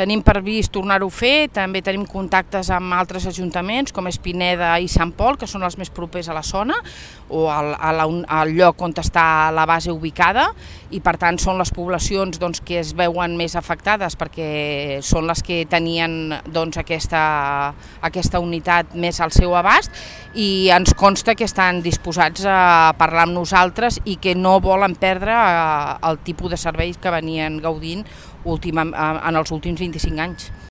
Tenim previst tornar-ho a fer, també tenim contactes amb altres ajuntaments, com és Pineda i Sant Pol, que són els més propers a la zona, o al lloc on està la base ubicada, i per tant són les poblacions que es veuen més afectades, perquè són les que tenien aquesta unitat més al seu abast, i ens consta que estan disposats a parlar amb nosaltres i que no volen perdre el tipus de serveis que venien gaudint en els últims 25 anys.